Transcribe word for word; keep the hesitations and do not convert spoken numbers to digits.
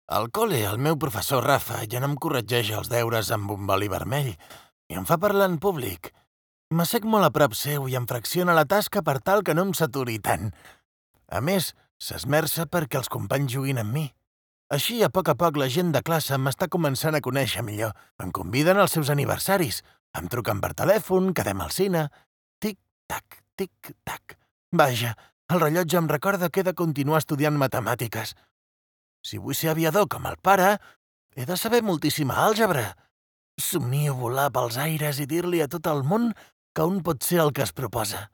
Al col·le, el meu professor Rafa ja no em corregeix els deures amb un boli vermell i em fa parlar en públic. M'assec molt a prop seu i em fracciona la tasca per tal que no em saturi tant. A més, s'esmerça perquè els companys juguin amb mi. Així, a poc a poc, la gent de classe m'està començant a conèixer millor. Em conviden als seus aniversaris. Em truquen per telèfon, quedem al cine. Tic-tac, tic-tac. Vaja, el rellotge em recorda que he de continuar estudiant matemàtiques. Si vull ser aviador com el pare, he de saber moltíssima àlgebra. Somnio volar pels aires i dir-li a tot el món que un pot ser el que es proposa.